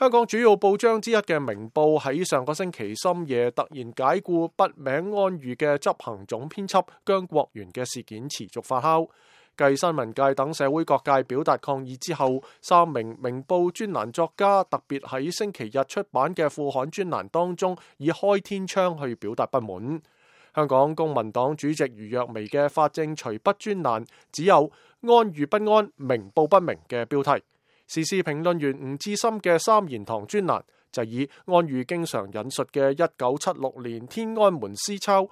香港主要報章之一嘅明報喺上個星期深夜突然解僱筆名安裕嘅執行總編輯姜國元嘅事件持續發酵。繼新聞界等社會各界表達抗議之後，3名明報專欄作家特別喺星期日出版嘅副刊專欄當中以開天窗去表達不滿。香港公民黨主席余若薇嘅法政隨筆專欄只有安裕不安，明報不明嘅標題。時事評論員吳志森嘅三言堂專欄就以安裕經常引述嘅1976年天安門詩抄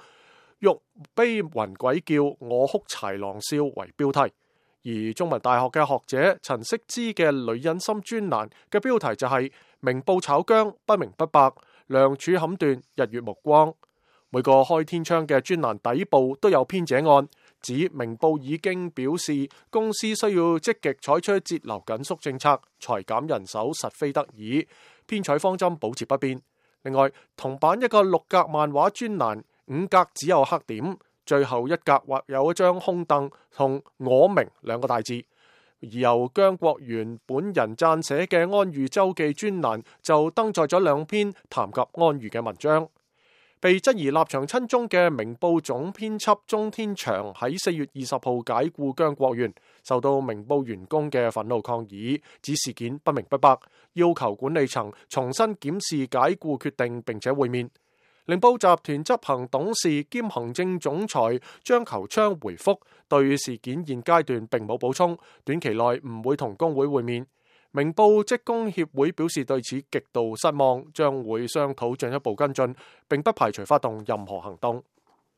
玉碑雲鬼叫，我哭豺狼笑為標題。而中文大學嘅學者陳惜之嘅女人心專欄嘅標題就係明報炒姜，不明不白，梁柱砍斷日月目光。每個開天窗嘅專欄底部都有編者案，指明報已經表示公司需要積極採取節流緊縮政策，裁減人手實非得已，編採方針保持不變。另外，同版一個6格漫畫專欄，5格只有黑點，最後1格或有一張空凳同我明2個大字。而由姜國元本人撰寫嘅安裕周記專欄就登載咗2篇談及安裕嘅文章。被質疑立場親中嘅明報總編輯鍾天祥喺4月20號解僱姜國元，受到明報員工嘅憤怒抗議，指事件不明不白，要求管理層重新檢視解僱決定並且會面。明報集團執行董事兼行政總裁張求昌回覆，對事件現階段並冇補充，短期內唔會同工會會面。明報職工協會表示對此極度失望，將會商討進一步跟進，並不排除發動任何行動。